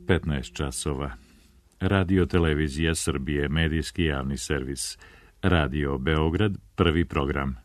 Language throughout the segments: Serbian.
15 časova. Radio Televizija Srbije, medijski javni servis. Radio Beograd, prvi program.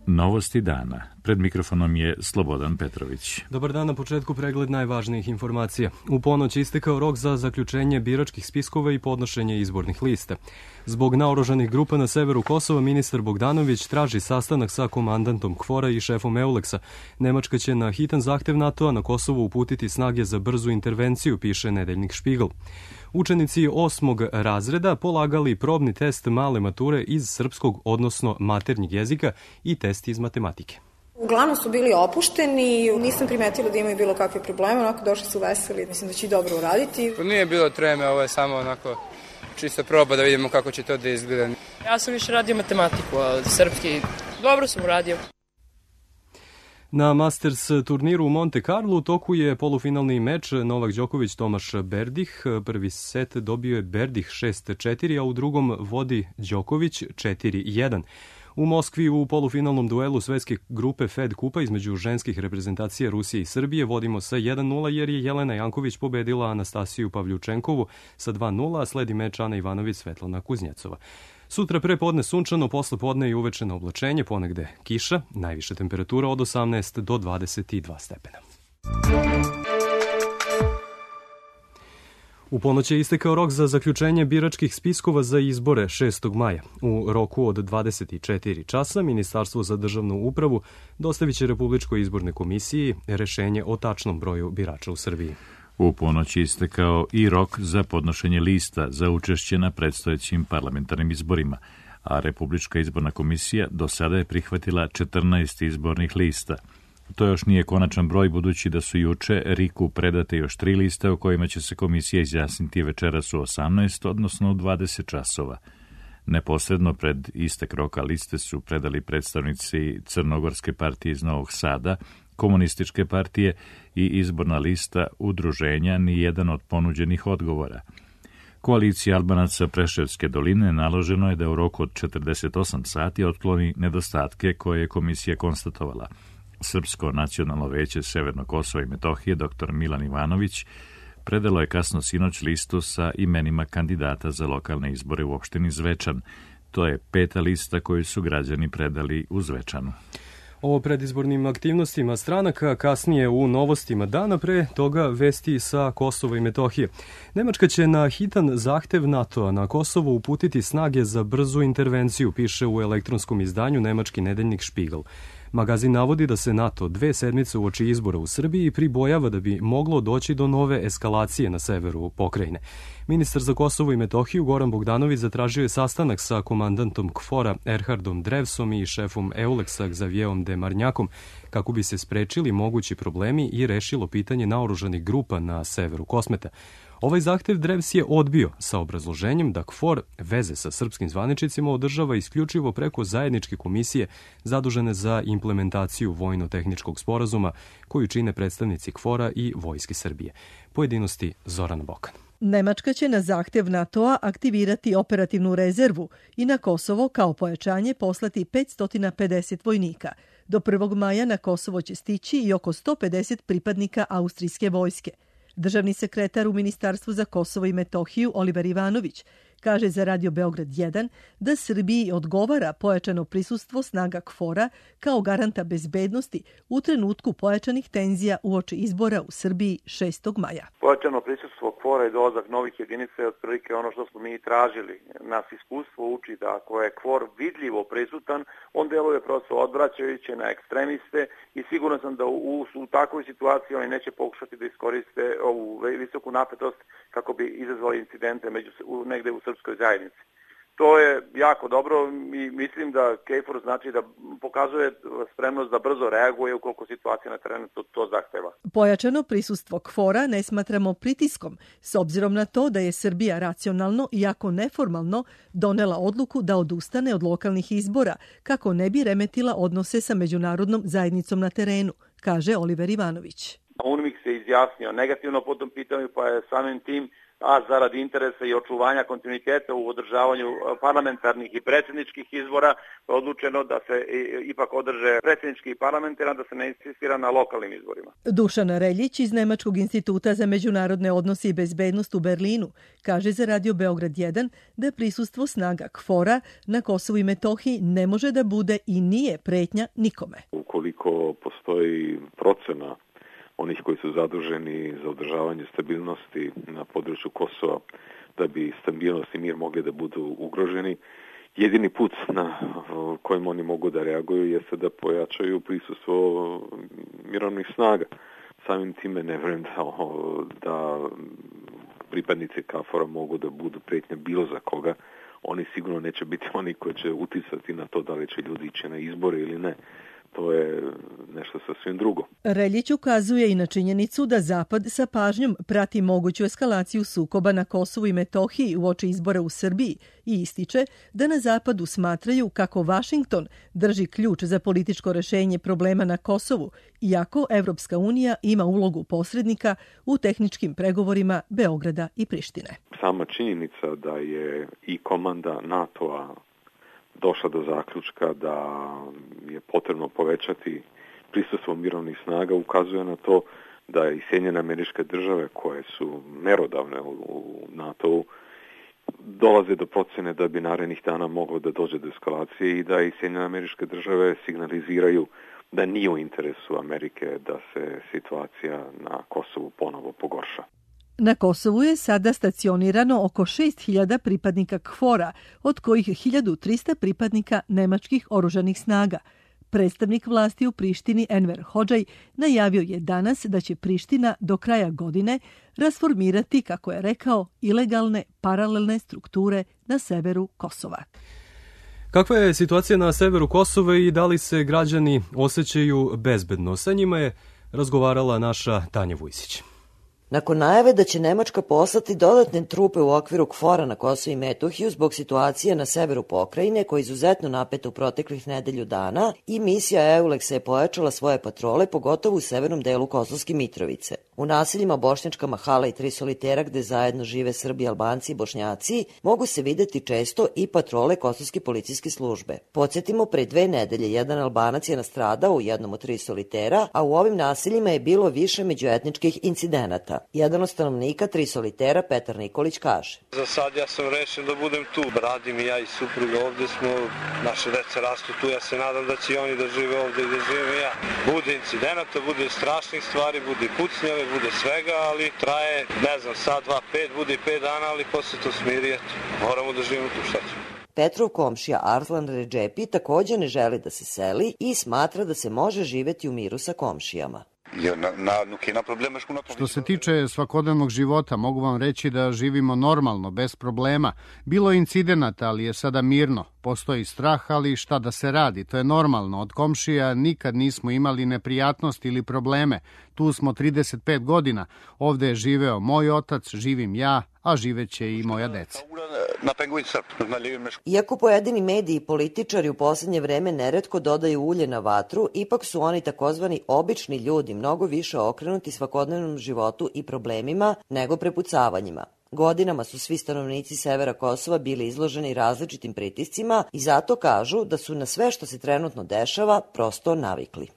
Novosti dana. Pred mikrofonom je Slobodan Petrović. Dobar dan, na početku pregled najvažnijih informacija. U ponoć istekao rok za zaključenje biračkih spiskova i podnošenje izbornih lista. Zbog naoružanih grupa na severu Kosova, ministar Bogdanović traži sastanak sa komandantom KFOR-a i šefom EULEX-a. Nemačka će na hitan zahtev NATO-a na Kosovo uputiti snage za brzu intervenciju, piše nedeljnik Špigl. Učenici 8. razreda polagali probni test male mature iz srpskog, odnosno maternjeg jezika i test iz matematike. Uglavnom su bili opušteni, nisam primetila da imaju bilo kakve probleme, onako došli su veseli, mislim da će i dobro uraditi. Nije bilo treme, ovo je samo onako čisto proba da vidimo kako će to da izgleda. Ja sam više radio matematiku, a srpski dobro sam uradio. Na Masters turniru u Monte Carlo u toku je polufinalni meč Novak Đoković-Tomaš Berdih. Prvi set dobio je Berdih 6-4, a u drugom vodi Đoković 4-1. U Moskvi u polufinalnom duelu svetske grupe Fed Kupa između ženskih reprezentacija Rusije i Srbije vodimo sa 1-0 jer je Jelena Janković pobedila Anastasiju Pavljučenkovu sa 2-0, a sledi meč Ana Ivanović-Svetlana Kuznjecova. Sutra pre podne sunčano, posle podne i uveče na oblačenje, ponegde kiša, najviša temperatura od 18 do 22 stepena. U ponoć je istekao rok za zaključenje biračkih spiskova za izbore 6. maja. U roku od 24 časa Ministarstvo za državnu upravu dostavit će Republičkoj izbornoj komisiji rešenje o tačnom broju birača u Srbiji. U ponoć je istekao i rok za podnošenje lista za učešće na predstojećim parlamentarnim izborima, a Republička izborna komisija do sada je prihvatila 14 izbornih lista. To još nije konačan broj, budući da su juče RIK-u predate još 3 liste o kojima će se komisija izjasniti večeras u 18, odnosno u 20 časova. Neposredno pred istek roka liste su predali predstavnici Crnogorske partije iz Novog Sada, Komunističke partije i izborna lista udruženja nijedan od ponuđenih odgovora. Koaliciji Albanaca Preševske doline naloženo je da u roku od 48 sati otkloni nedostatke koje je komisija konstatovala. Srpsko nacionalno veće Severno Kosovo i Metohije, dr. Milan Ivanović, predalo je kasno sinoć listu sa imenima kandidata za lokalne izbore u opštini Zvečan. To je 5. lista koju su građani predali u Zvečanu. O predizbornim aktivnostima stranaka kasnije u novostima dana, pre toga vesti sa Kosova i Metohije. Nemačka će na hitan zahtev NATO-a na Kosovo uputiti snage za brzu intervenciju, piše u elektronskom izdanju nemački nedeljnik Špigl. Magazin navodi da se NATO 2 sedmice uoči izbora u Srbiji pribojava da bi moglo doći do nove eskalacije na severu pokrajine. Ministar za Kosovo i Metohiju Goran Bogdanović zatražio je sastanak sa komandantom KFOR-a Erhardom Drevsom i šefom EULEX-a Xavierom de Marnjakom kako bi se sprečili mogući problemi i rešilo pitanje naoružanih grupa na severu Kosmeta. Ovaj zahtev Drevs je odbio sa obrazloženjem da KFOR veze sa srpskim zvaničnicima održava isključivo preko zajedničke komisije zadužene za implementaciju vojno-tehničkog sporazuma koju čine predstavnici KFOR-a i Vojske Srbije. Pojedinosti Zorana Bokan. Nemačka će na zahtev NATO-a aktivirati operativnu rezervu i na Kosovo kao pojačanje poslati 550 vojnika. Do 1. maja na Kosovo će stići i oko 150 pripadnika austrijske vojske. Državni sekretar u Ministarstvu za Kosovo i Metohiju Oliver Ivanović kaže za Radio Beograd 1 da Srbiji odgovara pojačano prisustvo snaga KFOR-a kao garanta bezbednosti u trenutku pojačanih tenzija uoči izbora u Srbiji 6. maja. Pojačano prisustvo KFOR-a i dolazak novih jedinica je otprilike ono što smo mi tražili. Nas iskustvo uči da ako je KFOR vidljivo prisutan, on deluje prosto odvraćajuće na ekstremiste i siguran sam da u takvoj situaciji oni neće pokušati da iskoriste ovu visoku napetost kako bi izazvali incidente negde u srpskoj zajednici. To je jako dobro i mislim da KFOR znači da pokazuje spremnost da brzo reaguje ukoliko situacija na terenu to zahteva. Pojačano prisustvo KFOR-a ne smatramo pritiskom, s obzirom na to da je Srbija racionalno, iako neformalno, donela odluku da odustane od lokalnih izbora, kako ne bi remetila odnose sa međunarodnom zajednicom na terenu, kaže Oliver Ivanović. UNMIK se izjasnio negativno po tom pitanju, pa je samim tim a zarad interesa i očuvanja kontinuiteta u održavanju parlamentarnih i predsjedničkih izbora odlučeno da se ipak održe predsjednički i parlamentarna, da se ne insistira na lokalnim izborima. Dušan Reljić iz Nemačkog instituta za međunarodne odnose i bezbednost u Berlinu kaže za Radio Beograd 1 da prisustvo snaga KFOR-a na Kosovu i Metohiji ne može da bude i nije pretnja nikome. Ukoliko postoji procena onih koji su zaduženi za održavanje stabilnosti na području Kosova, da bi stabilnost i mir mogli da budu ugroženi, jedini put na kojim oni mogu da reaguju jeste da pojačaju prisustvo mirovnih snaga. Samim time ne vjerujem da pripadnici KFOR-a mogu da budu pretnja bilo za koga. Oni sigurno neće biti oni koji će uticati na to da li će ljudi ići na izbore ili ne. To je nešto sasvim drugo. Reljić ukazuje i na činjenicu da Zapad sa pažnjom prati moguću eskalaciju sukoba na Kosovu i Metohiji uoči izbora u Srbiji i ističe da na Zapadu smatraju kako Vašington drži ključ za političko rešenje problema na Kosovu, iako Evropska unija ima ulogu posrednika u tehničkim pregovorima Beograda i Prištine. Sama činjenica da je i komanda NATO-a došla do zaključka da je potrebno povećati prisustvo mirovnih snaga ukazuje na to da i Sjedinjene Američke Države koje su merodavne u NATO-u dolaze do procjene da bi narednih dana moglo da dođe do eskalacije i da i Sjedinjene Američke Države signaliziraju da nije u interesu Amerike da se situacija na Kosovu ponovo pogorša. Na Kosovu je sada stacionirano oko 6.000 pripadnika KFOR-a, od kojih 1.300 pripadnika nemačkih oružanih snaga. Predstavnik vlasti u Prištini Enver Hodžaj najavio je danas da će Priština do kraja godine rasformirati, kako je rekao, ilegalne paralelne strukture na severu Kosova. Kakva je situacija na severu Kosova i da li se građani osjećaju bezbedno? Sa njima je razgovarala naša Tanja Vujsić. Nakon najave da će Nemačka poslati dodatne trupe u okviru KFOR-a na Kosovo i Metohiju zbog situacije na severu pokrajine, koja je izuzetno napeta u proteklih nedelju dana, i misija EULEX je pojačala svoje patrole, pogotovo u severnom delu Kosovske Mitrovice. U naseljima Bošnjačka Mahala i Tri Solitera, gde zajedno žive Srbi, Albanci i Bošnjaci, mogu se videti često i patrole Kosovske policijske službe. Podsjetimo, pre 2 nedelje jedan Albanac je nastradao u jednom od Tri Solitera, a u ovim naseljima je bilo više međuetničkih incidenata. Jedan od stanovnika Tri Solitera, Petar Nikolić, kaže: Za sad ja sam rešen da budem tu. Radim i ja i supruga ovde smo, naše deca rastu tu, ja se nadam da će i oni da žive ovde i da živim i ja. Bude incidenata, bude strašnih stvari, bude pucnjave, bude svega, ali traje, ne znam, sad, 2, 5, bude i 5 dana, ali posle to smiri, eto. Moramo da živimo tu, šta ćemo. Petrov komšija Arslan Redžepi također ne želi da se seli i smatra da se može živeti u miru sa komšijama. Što se tiče svakodnevnog života, mogu vam reći da živimo normalno, bez problema. Bilo je incidenata, ali je sada mirno. Postoji strah, ali šta da se radi, to je normalno. Od komšija nikad nismo imali neprijatnosti ili probleme. Tu smo 35 godina. Ovde je živeo moj otac, živim ja, a živeće i moja deca. Iako pojedini mediji i političari u posljednje vreme neretko dodaju ulje na vatru, ipak su oni takozvani obični ljudi mnogo više okrenuti svakodnevnom životu i problemima nego prepucavanjima. Godinama su svi stanovnici severa Kosova bili izloženi različitim pritiscima i zato kažu da su na sve što se trenutno dešava prosto navikli.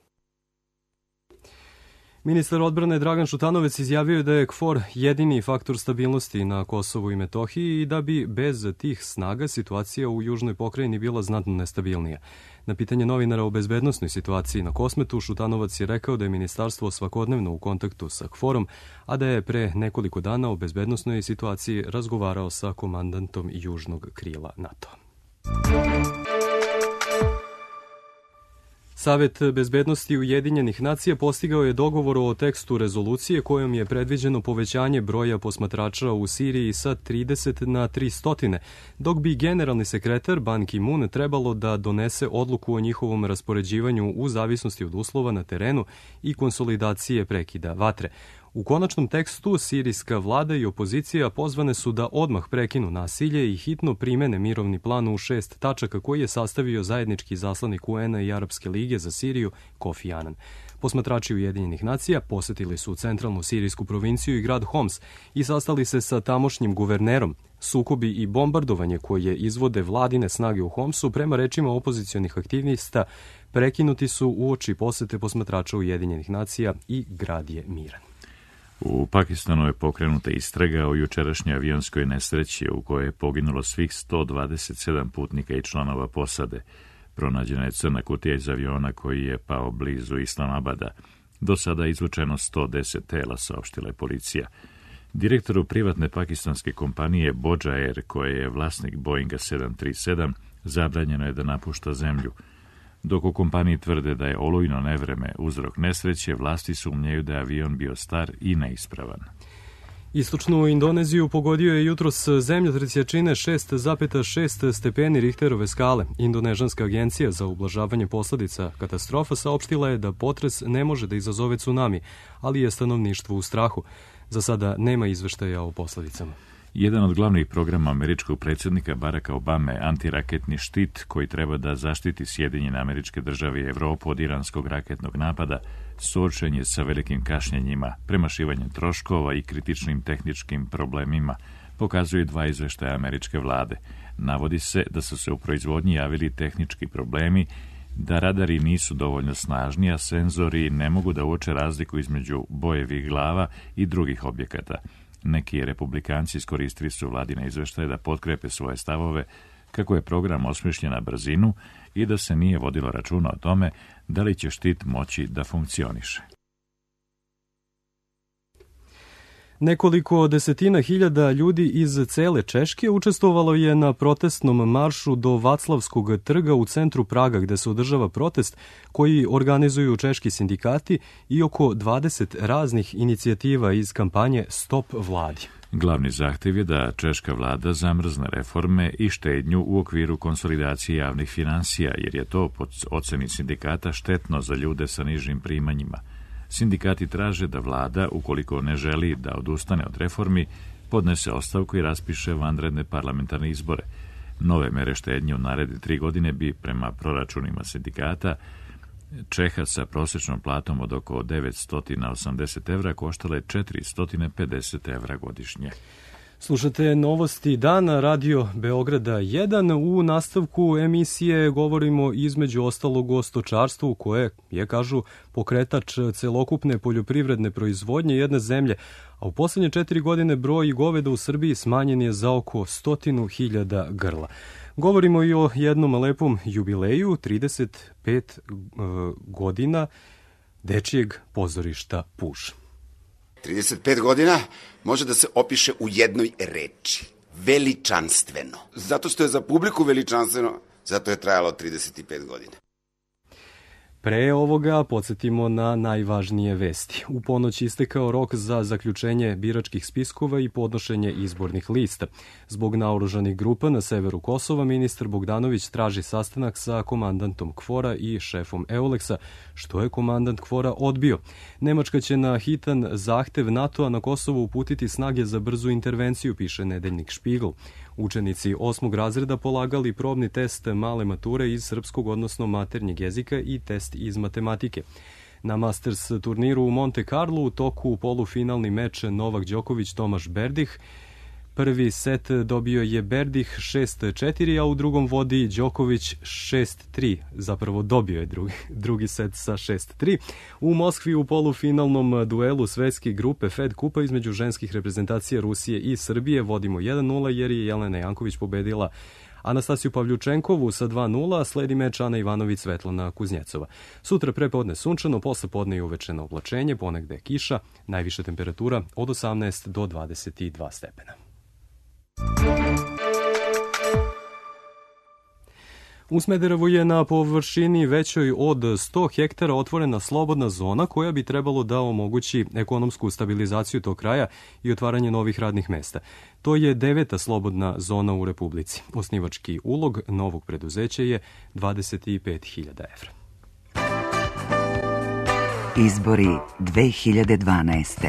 Ministar odbrane Dragan Šutanovec izjavio je da je KFOR jedini faktor stabilnosti na Kosovu i Metohiji i da bi bez tih snaga situacija u južnoj pokrajini bila znatno nestabilnija. Na pitanje novinara o bezbednosnoj situaciji na Kosmetu, Šutanovac je rekao da je ministarstvo svakodnevno u kontaktu sa KFOR-om, a da je pre nekoliko dana o bezbednosnoj situaciji razgovarao sa komandantom južnog krila NATO. Savet bezbednosti Ujedinjenih nacija postigao je dogovor o tekstu rezolucije kojom je predviđeno povećanje broja posmatrača u Siriji sa 30 na 300, dok bi generalni sekretar Ban Ki-moon trebalo da donese odluku o njihovom raspoređivanju u zavisnosti od uslova na terenu i konsolidacije prekida vatre. U konačnom tekstu sirijska vlada i opozicija pozvane su da odmah prekinu nasilje i hitno primene mirovni plan u 6 tačaka koji je sastavio zajednički izaslanik UN-a i Arapske lige za Siriju Kofi Annan. Posmatrači Ujedinjenih nacija posetili su centralnu sirijsku provinciju i grad Homs i sastali se sa tamošnjim guvernerom. Sukobi i bombardovanje koje izvode vladine snage u Homsu, prema rečima opozicionih aktivista, prekinuti su uoči posete posmatrača Ujedinjenih nacija i grad je miran. U Pakistanu je pokrenuta istraga o jučerašnjoj avionskoj nesreći u kojoj je poginulo svih 127 putnika i članova posade. Pronađena je crna kutija iz aviona koji je pao blizu Islamabada. Do sada je izvučeno 110 tela, saopštila je policija. Direktoru privatne pakistanske kompanije Bodja Air, koje je vlasnik Boeinga 737, zabranjeno je da napušta zemlju. Dok u kompaniji tvrde da je olujno nevreme uzrok nesreće, vlasti sumnjaju da je avion bio star i neispravan. Istočnu Indoneziju pogodio je jutros zemljotres jačine 6,6 stepeni Richterove skale. Indonežanska agencija za ublažavanje posledica katastrofa saopštila je da potres ne može da izazove tsunami, ali je stanovništvo u strahu. Za sada nema izveštaja o posledicama. Jedan od glavnih programa američkog predsjednika Baracka Obame je antiraketni štit koji treba da zaštiti Sjedinjene Američke Države i Evropu od iranskog raketnog napada, suočen je sa velikim kašnjenjima, premašivanjem troškova i kritičnim tehničkim problemima, pokazuju 2 izveštaja američke vlade. Navodi se da su se u proizvodnji javili tehnički problemi, da radari nisu dovoljno snažni, a senzori ne mogu da uoče razliku između bojevih glava i drugih objekata. Neki republikanci iskoristili su vladine izveštaje da potkrepe svoje stavove kako je program osmišljen na brzinu i da se nije vodilo računa o tome da li će štit moći da funkcioniše. Nekoliko desetina hiljada ljudi iz cele Češke učestvovalo je na protestnom maršu do Vaclavskog trga u centru Praga, gde se održava protest koji organizuju češki sindikati i oko 20 raznih inicijativa iz kampanje Stop vladi. Glavni zahtev je da češka vlada zamrzne reforme i štednju u okviru konsolidacije javnih finansija, jer je to, po oceni sindikata, štetno za ljude sa nižim primanjima. Sindikati traže da vlada, ukoliko ne želi da odustane od reformi, podnese ostavku i raspiše vanredne parlamentarne izbore. Nove mere štednje u naredne 3 godine bi, prema proračunima sindikata, Čeha sa prosječnom platom od oko 980 evra koštale 450 evra godišnje. Slušate novosti dana, Radio Beograda 1. U nastavku emisije govorimo između ostalog o stočarstvu koje je, kažu, pokretač celokupne poljoprivredne proizvodnje jedne zemlje, a u poslednje 4 godine broj goveda u Srbiji smanjen je za oko 100.000 grla. Govorimo i o jednom lepom jubileju, 35 godina dečijeg pozorišta Puž. 35 godina može da se opiše u jednoj reči. Veličanstveno. Zato što je za publiku veličanstveno, zato je trajalo 35 godina. Pre ovoga podsjetimo na najvažnije vesti. U ponoć istekao rok za zaključenje biračkih spiskova i podnošenje izbornih lista. Zbog naoružanih grupa na severu Kosova, ministar Bogdanović traži sastanak sa komandantom KFOR-a i šefom EULEX-a, što je komandant KFOR-a odbio. Nemačka će na hitan zahtev NATO-a na Kosovo uputiti snage za brzu intervenciju, piše nedeljnik Špigl. Učenici 8. razreda polagali probni test male mature iz srpskog, odnosno maternjeg jezika i test iz matematike. Na Masters turniru u Monte Carlo u toku polufinalni meč Novak Đoković-Tomaš Berdih. Prvi set dobio je Berdih 6-4, a u drugom vodi Đoković 6-3. Zapravo dobio je drugi set sa 6-3. U Moskvi u polufinalnom duelu svetske grupe Fed Kupa između ženskih reprezentacija Rusije i Srbije vodimo 1-0 jer je Jelena Janković pobedila Anastasiju Pavljučenkovu sa 2-0, sledi meč Ana Ivanović-Svetlana Kuznjecova. Sutra prepodne sunčano, posle podne i uvečeno oblačenje, ponegde kiša, najviša temperatura od 18 do 22 stepena. U Smederevu je na površini većoj od 100 hektara otvorena slobodna zona koja bi trebalo da omogući ekonomsku stabilizaciju tog kraja i otvaranje novih radnih mesta. To je 9. slobodna zona u Republici. Osnivački ulog novog preduzeća je 25.000 evra. Izbori 2012.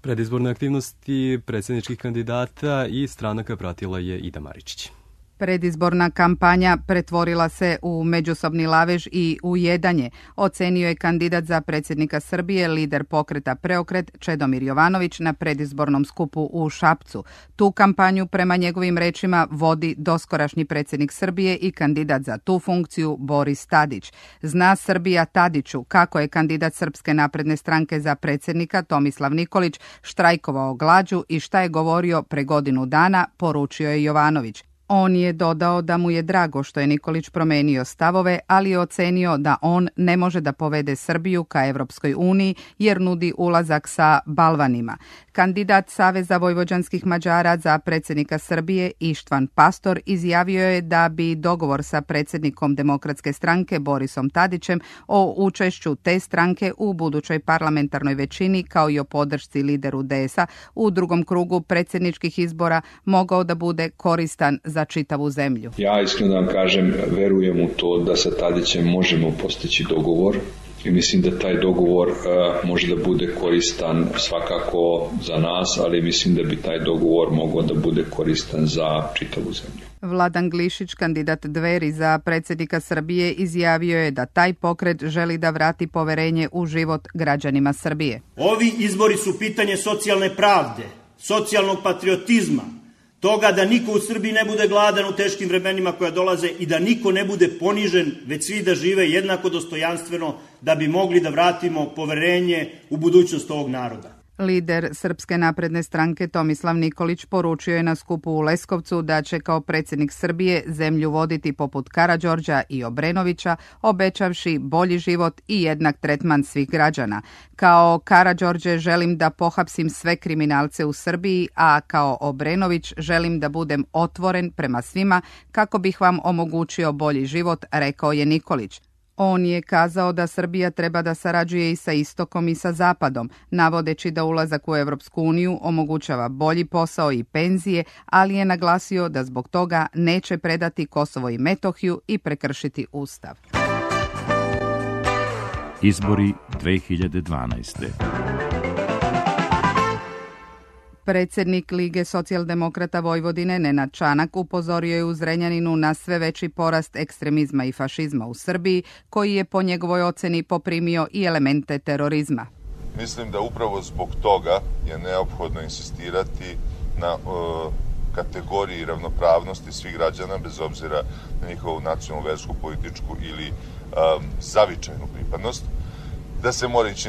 Predizborne aktivnosti predsjedničkih kandidata i stranaka pratila je Ida Maričić. Predizborna kampanja pretvorila se u međusobni lavež i ujedanje, ocenio je kandidat za predsjednika Srbije, lider pokreta Preokret Čedomir Jovanović na predizbornom skupu u Šapcu. Tu kampanju, prema njegovim rečima, vodi doskorašnji predsjednik Srbije i kandidat za tu funkciju Boris Tadić. Zna Srbija Tadiću kako je kandidat Srpske napredne stranke za predsjednika Tomislav Nikolić štrajkovao glađu i šta je govorio pre godinu dana, poručio je Jovanović. On je dodao da mu je drago što je Nikolić promenio stavove, ali je ocenio da on ne može da povede Srbiju ka Evropskoj uniji jer nudi ulazak sa balvanima. Kandidat Saveza vojvođanskih Mađara za predsjednika Srbije Ištvan Pastor izjavio je da bi dogovor sa predsjednikom Demokratske stranke Borisom Tadićem o učešću te stranke u budućoj parlamentarnoj većini kao i o podršci lideru DS-a u drugom krugu predsjedničkih izbora mogao da bude koristan za čitavu zemlju. Ja iskreno kažem, verujem u to da sa Tadićem možemo postići dogovor i mislim da taj dogovor može da bude koristan svakako za nas, ali mislim da bi taj dogovor mogao da bude koristan za čitavu zemlju. Vladan Glišić, kandidat Dveri za predsjednika Srbije, izjavio je da taj pokret želi da vrati poverenje u život građanima Srbije. Ovi izbori su pitanje socijalne pravde, socijalnog patriotizma, toga da niko u Srbiji ne bude gladan u teškim vremenima koja dolaze i da niko ne bude ponižen, već svi da žive jednako dostojanstveno da bi mogli da vratimo poverenje u budućnost ovog naroda. Lider Srpske napredne stranke Tomislav Nikolić poručio je na skupu u Leskovcu da će kao predsjednik Srbije zemlju voditi poput Karađorđa i Obrenovića, obećavši bolji život i jednak tretman svih građana. Kao Karađorđe želim da pohapsim sve kriminalce u Srbiji, a kao Obrenović želim da budem otvoren prema svima kako bih vam omogućio bolji život, rekao je Nikolić. On je kazao da Srbija treba da sarađuje i sa istokom i sa zapadom, navodeći da ulazak u Evropsku uniju omogućava bolji posao i penzije, ali je naglasio da zbog toga neće predati Kosovo i Metohiju i prekršiti Ustav. Izbori 2012. Predsjednik Lige socijaldemokrata Vojvodine Nenad Čanak upozorio je u Zrenjaninu na sve veći porast ekstremizma i fašizma u Srbiji, koji je po njegovoj oceni poprimio i elemente terorizma. Mislim da upravo zbog toga je neophodno insistirati na kategoriji ravnopravnosti svih građana, bez obzira na njihovu nacionalnu, versku, političku ili zavičajnu pripadnost, da se mora ići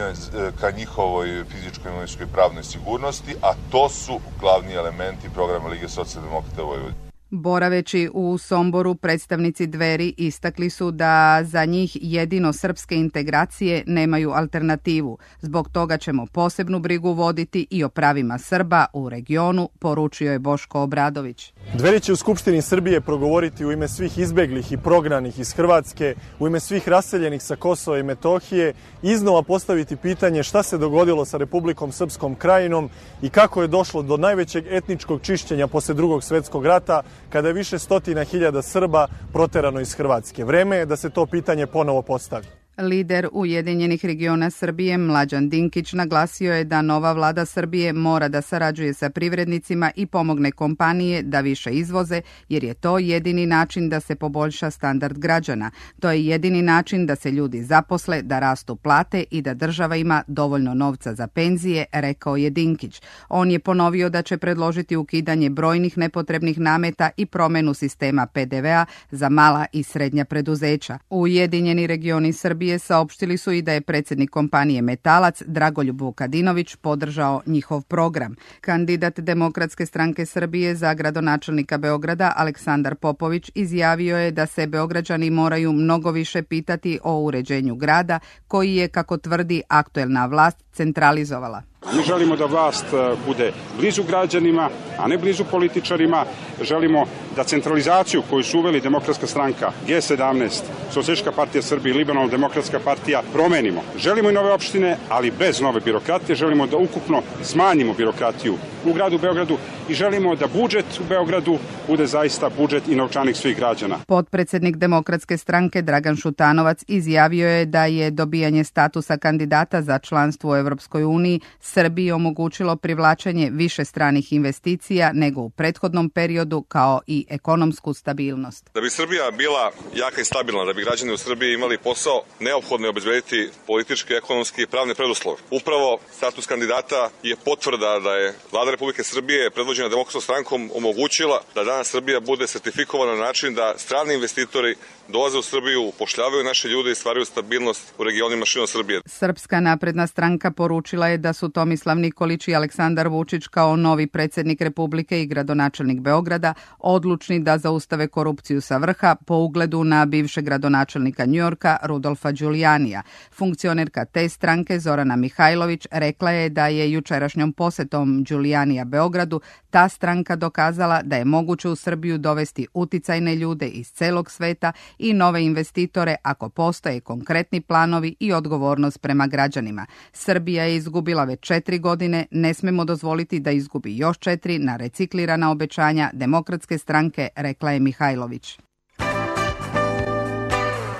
ka njihovoj fizičkoj, imovinskoj i pravnoj sigurnosti, a to su glavni elementi programa Lige socijaldemokrata Vojvodine. Boraveći u Somboru, predstavnici Dveri istakli su da za njih jedino srpske integracije nemaju alternativu. Zbog toga ćemo posebnu brigu voditi i o pravima Srba u regionu, poručio je Boško Obradović. Dveri će u Skupštini Srbije progovoriti u ime svih izbeglih i prognanih iz Hrvatske, u ime svih raseljenih sa Kosova i Metohije, iznova postaviti pitanje šta se dogodilo sa Republikom Srpskom Krajinom i kako je došlo do najvećeg etničkog čišćenja posle Drugog svjetskog rata, kada je više stotina hiljada Srba proterano iz Hrvatske. Vreme je da se to pitanje ponovo postavi. Lider Ujedinjenih regiona Srbije Mlađan Dinkić naglasio je da nova vlada Srbije mora da sarađuje sa privrednicima i pomogne kompanije da više izvoze, jer je to jedini način da se poboljša standard građana. To je jedini način da se ljudi zaposle, da rastu plate i da država ima dovoljno novca za penzije, rekao je Dinkić. On je ponovio da će predložiti ukidanje brojnih nepotrebnih nameta i promenu sistema PDV-a za mala i srednja preduzeća. Ujedinjeni regioni Srbije saopštili su i da je predsjednik kompanije Metalac Dragoljub Vukadinović podržao njihov program. Kandidat Demokratske stranke Srbije za gradonačelnika Beograda Aleksandar Popović izjavio je da se Beograđani moraju mnogo više pitati o uređenju grada, koji je, kako tvrdi, aktuelna vlast centralizovala. Mi želimo da vlast bude blizu građanima, a ne blizu političarima. Želimo da centralizaciju koju su uveli Demokratska stranka, G17, Socijalistička partija Srbije i Liberalno demokratska partija promenimo. Želimo i nove opštine, ali bez nove birokratije. Želimo da ukupno smanjimo birokratiju u gradu Beogradu i želimo da budžet u Beogradu bude zaista budžet i novčanik svih građana. Potpredsednik Demokratske stranke Dragan Šutanovac izjavio je da je dobijanje statusa kandidata za članstvo u Evropskoj uniji Srbiji omogućilo privlačenje više stranih investicija nego u prethodnom periodu, kao i ekonomsku stabilnost. Da bi Srbija bila jaka i stabilna, da bi građani u Srbiji imali posao, neophodno je obezbediti politički, ekonomski i pravne preduslove. Upravo status kandidata je potvrda da je Vlada Republike Srbije predvođena Demokratskom strankom omogućila da danas Srbija bude sertifikovana na način da strani investitori dolaze u Srbiju, upošljavaju naše ljude i stvaraju stabilnost u regionima širom Srbije. Srpska napredna stranka poručila je da su Tomislav Nikolić i Aleksandar Vučić kao novi predsjednik Republike i gradonačelnik Beograda odlučni da zaustave korupciju sa vrha po ugledu na bivšeg gradonačelnika Njujorka Rudolfa Đulijanija. Funkcionerka te stranke Zorana Mihajlović rekla je da je jučerašnjom posetom Đulijanija Beogradu ta stranka dokazala da je moguće u Srbiju dovesti uticajne ljude iz celog sveta i nove investitore ako postoje konkretni planovi i odgovornost prema građanima. Srbija je izgubila već 4 godine, ne smemo dozvoliti da izgubi još 4 na reciklirana obećanja Demokratske stranke, rekla je Mihajlović.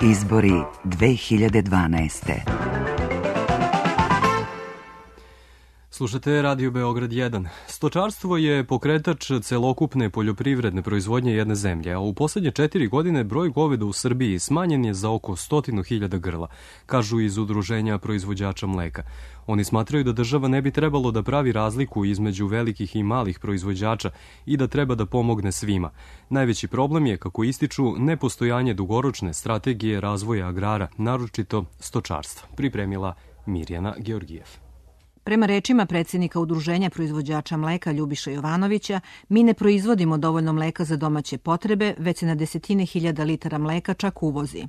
Izbori 2012. Slušate Radio Beograd 1. Stočarstvo je pokretač celokupne poljoprivredne proizvodnje jedne zemlje, a u poslednje 4 godine broj goveda u Srbiji smanjen je za oko 100.000 grla, kažu iz Udruženja proizvođača mleka. Oni smatraju da država ne bi trebalo da pravi razliku između velikih i malih proizvođača i da treba da pomogne svima. Najveći problem je, kako ističu, nepostojanje dugoročne strategije razvoja agrara, naročito stočarstva, pripremila Mirjana Georgijev. Prema rečima predsjednika Udruženja proizvođača mleka Ljubiša Jovanovića, mi ne proizvodimo dovoljno mleka za domaće potrebe, već se na desetine hiljada litara mleka čak uvozi.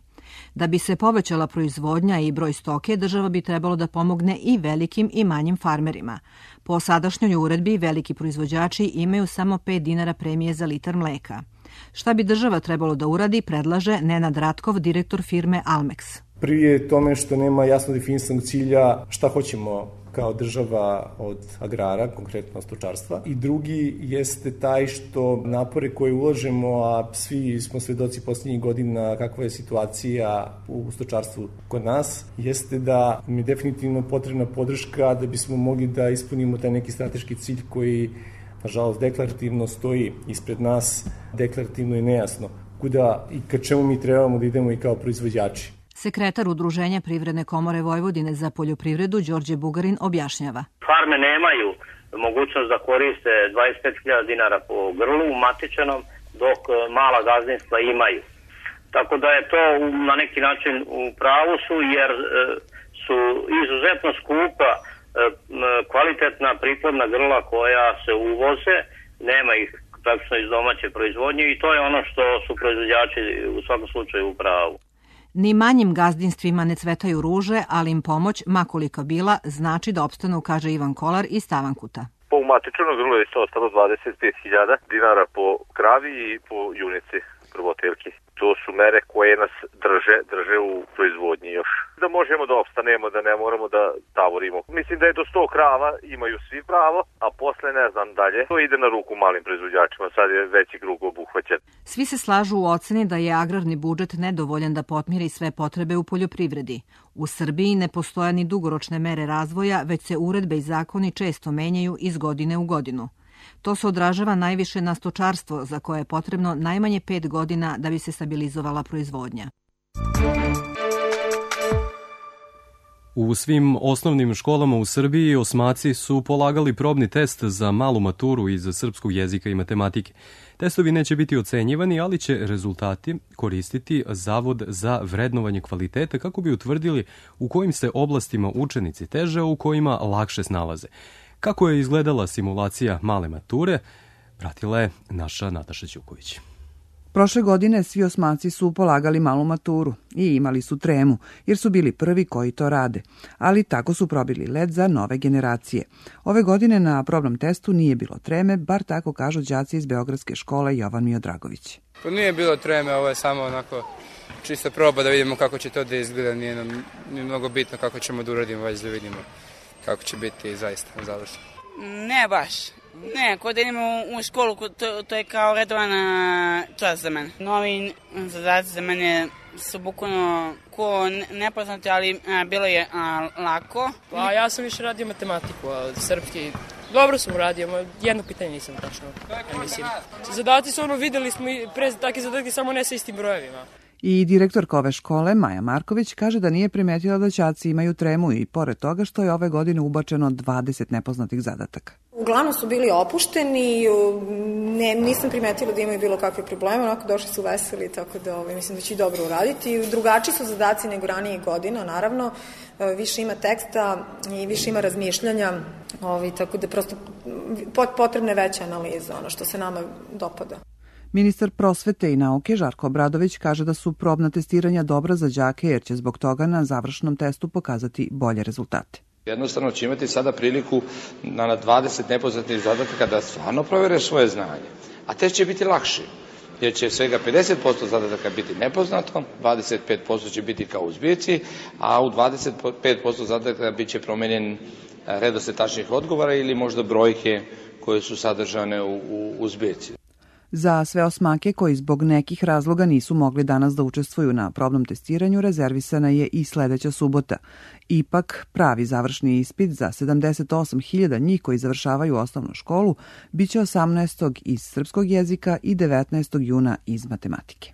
Da bi se povećala proizvodnja i broj stoke, država bi trebalo da pomogne i velikim i manjim farmerima. Po sadašnjoj uredbi, veliki proizvođači imaju samo 5 dinara premije za litar mleka. Šta bi država trebalo da uradi, predlaže Nenad Ratkov, direktor firme Almex. Prvi je tome što nema jasno definisanog cilja šta hoćemo kao država od agrara, konkretno stočarstva. I drugi jeste taj što napore koje ulažemo, a svi smo svedoci posljednjih godina kakva je situacija u stočarstvu kod nas, jeste da mi je definitivno potrebna podrška da bismo mogli da ispunimo taj neki strateški cilj koji, nažalost, deklarativno stoji ispred nas, deklarativno i nejasno. Kuda i ka čemu mi trebamo da idemo i kao proizvođači. Sekretar Udruženja Privredne komore Vojvodine za poljoprivredu Đorđe Bugarin objašnjava. Farme nemaju mogućnost da koriste 25.000 dinara po grlu matičanom, dok mala gazdinstva imaju. Tako da je to na neki način u pravu su, jer su izuzetno skupa kvalitetna priplodna grla koja se uvoze, nema ih praktično iz domaće proizvodnje i to je ono što su proizvođači u svakom slučaju u pravu. Ni manjim gazdinstvima ne cvetaju ruže, ali im pomoć, makolika bila, znači da opstanu, kaže Ivan Kolar iz Tavankuta. Po matičnom grlu je isto ostalo 25.000 dinara po kravi i po junici prvotelki. To su mere koje nas drže u proizvodnji još. Da možemo da opstanemo, da ne moramo da tavorimo. Mislim da je do 100 krava imaju svi pravo, a posle ne znam dalje. To ide na ruku malim proizvođačima, sad je veći krug obuhvaćen. Svi se slažu u oceni da je agrarni budžet nedovoljan da potmiri sve potrebe u poljoprivredi. U Srbiji ne postoje ni dugoročne mere razvoja, već se uredbe i zakoni često menjaju iz godine u godinu. To se odražava najviše na stočarstvo, za koje je potrebno najmanje 5 godina da bi se stabilizovala proizvodnja. U svim osnovnim školama u Srbiji osmaci su polagali probni test za malu maturu iz srpskog jezika i matematike. Testovi neće biti ocenjivani, ali će rezultati koristiti Zavod za vrednovanje kvaliteta kako bi utvrdili u kojim se oblastima učenici teže, a u kojima lakše snalaze. Kako je izgledala simulacija male mature, pratila je naša Nataša Ćuković. Prošle godine svi osmaci su polagali malu maturu i imali su tremu, jer su bili prvi koji to rade. Ali tako su probili led za nove generacije. Ove godine na probnom testu nije bilo treme, bar tako kažu đaci iz Beogradske škole Jovan Miodragović. Pa nije bilo treme, ovo je samo onako čisto proba da vidimo kako će to da izgleda. Nije nam mnogo bitno kako ćemo da uradimo, već da vidimo kako će biti zaista završeno. Ne baš. Ne, kod da idemo u školu, to je kao redovana čas za mene. Novi zadaci za mene su bukvalno ko nepoznati, ali bilo je lako. Pa ja sam više radio matematiku, a srpski dobro sam uradio, jedno pitanje nisam tačno. Mislim. Zadaci su videli smo pre takve zadatke, samo ne sa istim brojevima. I direktorka ove škole, Maja Marković, kaže da nije primetila da đaci imaju tremu i pored toga što je ove godine ubačeno 20 nepoznatih zadataka. Uglavnom su bili opušteni, nisam primetila da imaju bilo kakve probleme, onako došli su veseli, tako da mislim da će i dobro uraditi. Drugačiji su zadaci nego ranije godina, naravno, više ima teksta i više ima razmišljanja, tako da prosto potrebna je veća analiza, ono što se nama dopada. Ministar prosvete i nauke Žarko Obradović kaže da su probna testiranja dobra za đake jer će zbog toga na završnom testu pokazati bolje rezultate. Jednostavno će imati sada priliku na 20 nepoznatih zadataka da stvarno provere svoje znanje. A test će biti lakši, jer će svega 50% zadataka biti nepoznato, 25% će biti kao u zbirci, a u 25% zadataka bit će promenjen redosled tačnih odgovora ili možda brojke koje su sadržane u zbirci. Za sve osmake koji zbog nekih razloga nisu mogli danas da učestvuju na probnom testiranju, rezervisana je i sledeća subota. Ipak, pravi završni ispit za 78.000 njih koji završavaju osnovnu školu biće 18. iz srpskog jezika i 19. juna iz matematike.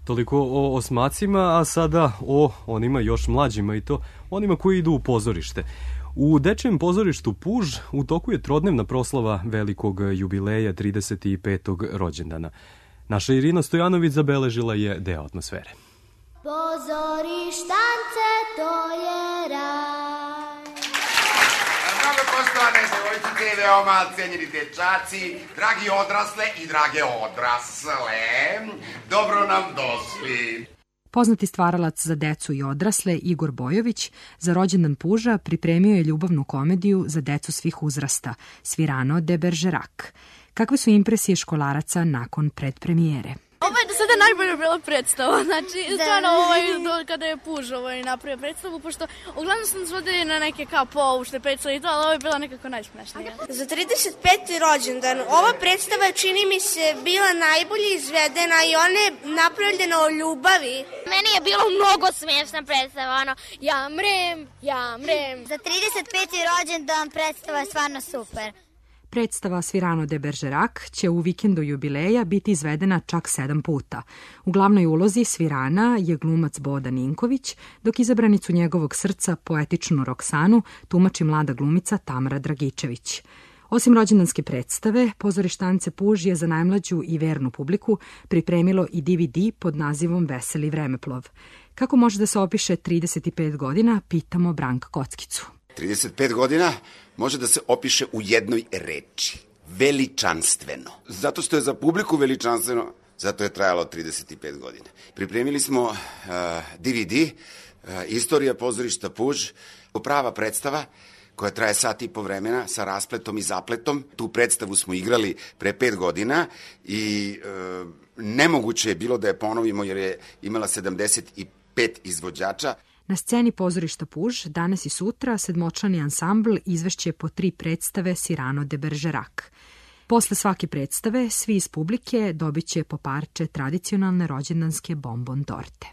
Toliko o osmacima, a sada o onima još mlađima i to onima koji idu u pozorište. U Dečijem pozorištu Puž u toku je trodnevna proslava velikog jubileja 35. rođendana. Naša Irina Stojanović zabeležila je deo atmosfere. Pozorištance, to je raj. Mnogo poštovane devojčice i veoma cenjeni dečaci, dragi odrasle i drage odrasle, dobro nam došli. Poznati stvaralac za decu i odrasle Igor Bojović za rođendan Puža pripremio je ljubavnu komediju za decu svih uzrasta Cyrano de Bergerac. Kakve su impresije školaraca nakon predpremijere? Ovo je do sada najbolja bila predstava, znači stvarno kada je Puž napravio predstavu, pošto uglavnom sam svodila na neke kao poučne predstave i to, ali ovo je bila nekako najsmešnija. Za 35. rođendan ova predstava čini mi se bila najbolje izvedena i ona je napravljena o ljubavi. Meni je bilo mnogo smiješna predstava, ja mrem. Za 35. rođendan predstava je stvarno super. Predstava Cyrano de Bergerac će u vikendu jubileja biti izvedena čak 7 puta. U glavnoj ulozi Cyrana je glumac Boda Ninković, dok izabranicu njegovog srca, poetičnu Roksanu, tumači mlada glumica Tamara Dragičević. Osim rođendanske predstave, pozorištance Puž je za najmlađu i vernu publiku pripremilo i DVD pod nazivom Veseli vremeplov. Kako može da se opiše 35 godina, pitamo Branka Kockicu. 35 godina može da se opiše u jednoj reči. Veličanstveno. Zato što je za publiku veličanstveno, zato je trajalo 35 godina. Pripremili smo DVD, Istorija pozorišta Puž, prava predstava koja traje sat i po vremena sa raspletom i zapletom. Tu predstavu smo igrali pre 5 godina i nemoguće je bilo da je ponovimo jer je imala 75 izvođača. Na sceni pozorišta Puž danas i sutra sedmočlani ansambl izvešće po 3 predstave Cyrano de Bergerac. Posle svake predstave svi iz publike dobit će po parče tradicionalne rođendanske bombon torte.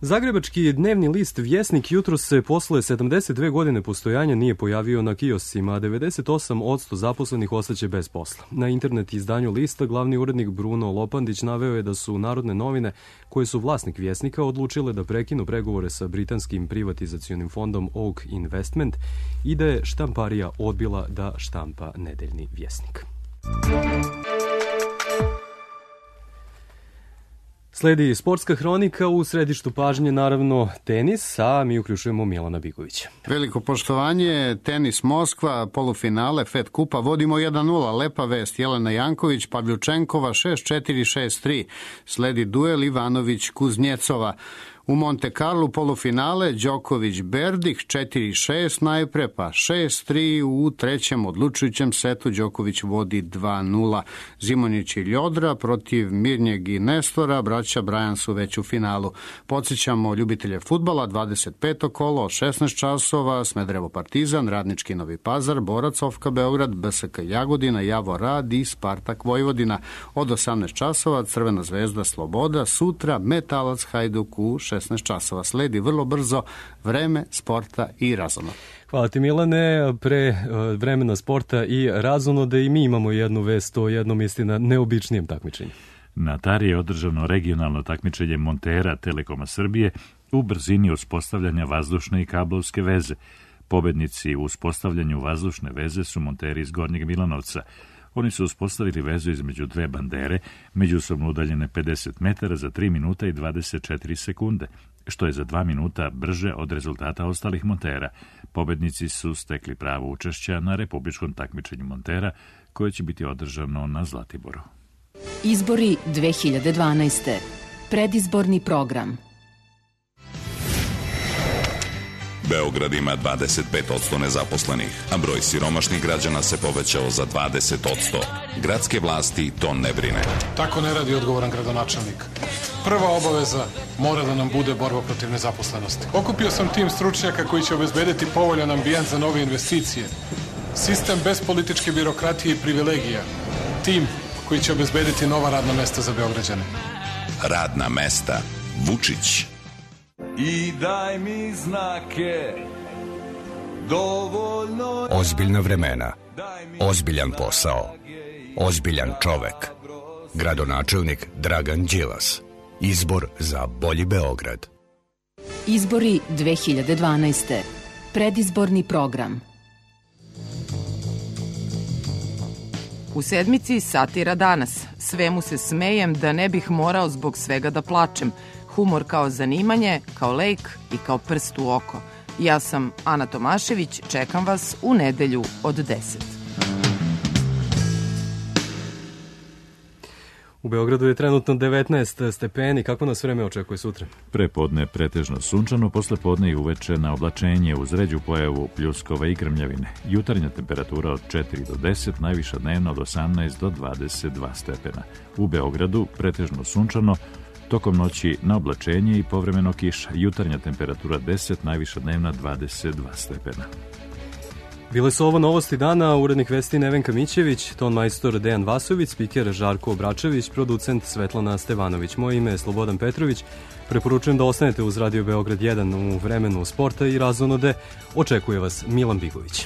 Zagrebački dnevni list Vjesnik jutros se posle 72 godine postojanja nije pojavio na kioscima, a 98% zaposlenih ostaće bez posla. Na internet izdanju lista glavni urednik Bruno Lopandić naveo je da su Narodne novine, koje su vlasnik Vjesnika, odlučile da prekinu pregovore sa britanskim privatizacionim fondom Oak Investment i da je štamparija odbila da štampa nedeljni Vjesnik. Sledi sportska hronika, u središtu pažnje naravno tenis, a mi uključujemo Milana Bigovića. Veliko poštovanje, tenis Moskva, polufinale Fed kupa, vodimo 1-0, lepa vest, Jelena Janković, Pavljučenkova 6-4, 6-3, sledi duel Ivanović-Kuznjecova. U Monte Carlo polufinale Đoković-Berdik 4-6 najpre, pa 6-3 u trećem odlučujućem setu. Đoković vodi 2-0. Zimonjić i Ljodra protiv Mirnjeg i Nestora, braća Brajan su već u finalu. Podsjećamo ljubitelje fudbala, 25. kolo, 16 časova, Smederevo Partizan, Radnički Novi Pazar, Borac Ofka Beograd, BSK Jagodina, Javor Rad i Spartak Vojvodina. Od 18 časova Crvena zvezda Sloboda, sutra Metalac Hajduk u 16 časova. Sledi vrlo brzo vreme, sporta i razonod. Hvala ti Milane, pre vremena sporta i razonode i mi imamo jednu vest o jednom istina neobičnijem takmičenju. Na Tari je održano regionalno takmičenje montera Telekoma Srbije u brzini uspostavljanja vazdušne i kablovske veze. Pobednici u uspostavljanju vazdušne veze su monteri iz Gornjeg Milanovca. Oni su uspostavili vezu između dve bandere, međusobno udaljene 50 metara za 3 minuta i 24 sekunde, što je za 2 minuta brže od rezultata ostalih montera. Pobednici su stekli pravo učešća na republičkom takmičenju montera, koje će biti održano na Zlatiboru. Izbori 2012. Predizborni program. Beograd ima 25% nezaposlenih, a broj siromašnih građana se povećao za 20%. Gradske vlasti to ne brine. Tako ne radi odgovoran gradonačelnik. Prva obaveza mora da nam bude borba protiv nezaposlenosti. Okupio sam tim stručnjaka koji će obezbediti povoljan ambijent za nove investicije. Sistem bez političke birokratije i privilegija. Tim koji će obezbediti nova radna mesta za Beograđane. Radna mesta. Vučić. I daj mi znake, dovoljno... Ozbiljna vremena, ozbiljan posao, ozbiljan čovek. Gradonačelnik Dragan Đilas. Izbor za bolji Beograd. Izbori 2012. Predizborni program. U sedmici satira danas. Svemu se smejem da ne bih morao zbog svega da plačem. Humor kao zanimanje, kao lek i kao prst u oko. Ja sam Ana Tomašević, čekam vas u nedelju od 10. U Beogradu je trenutno 19 stepeni. Kako nas vreme očekuje sutra? Prepodne pretežno sunčano, posle podne i uveče na oblačenje uz ređu pojavu pljuskova i grmljavine. Jutarnja temperatura od 4 do 10, najviša dnevna od 18 do 22 stepena. U Beogradu pretežno sunčano, tokom noći na oblačenje i povremeno kiša. Jutarnja temperatura 10, najviša dnevna 22 stepena. Bile su ovo novosti dana, urednik vesti Nevenka Mićević, ton majstor Dejan Vasović, spiker Žarko Obračević, producent Svetlana Stevanović. Moje ime je Slobodan Petrović. Preporučujem da ostanete uz Radio Beograd 1 u vremenu sporta i razonode. Očekuje vas Milan Bigović.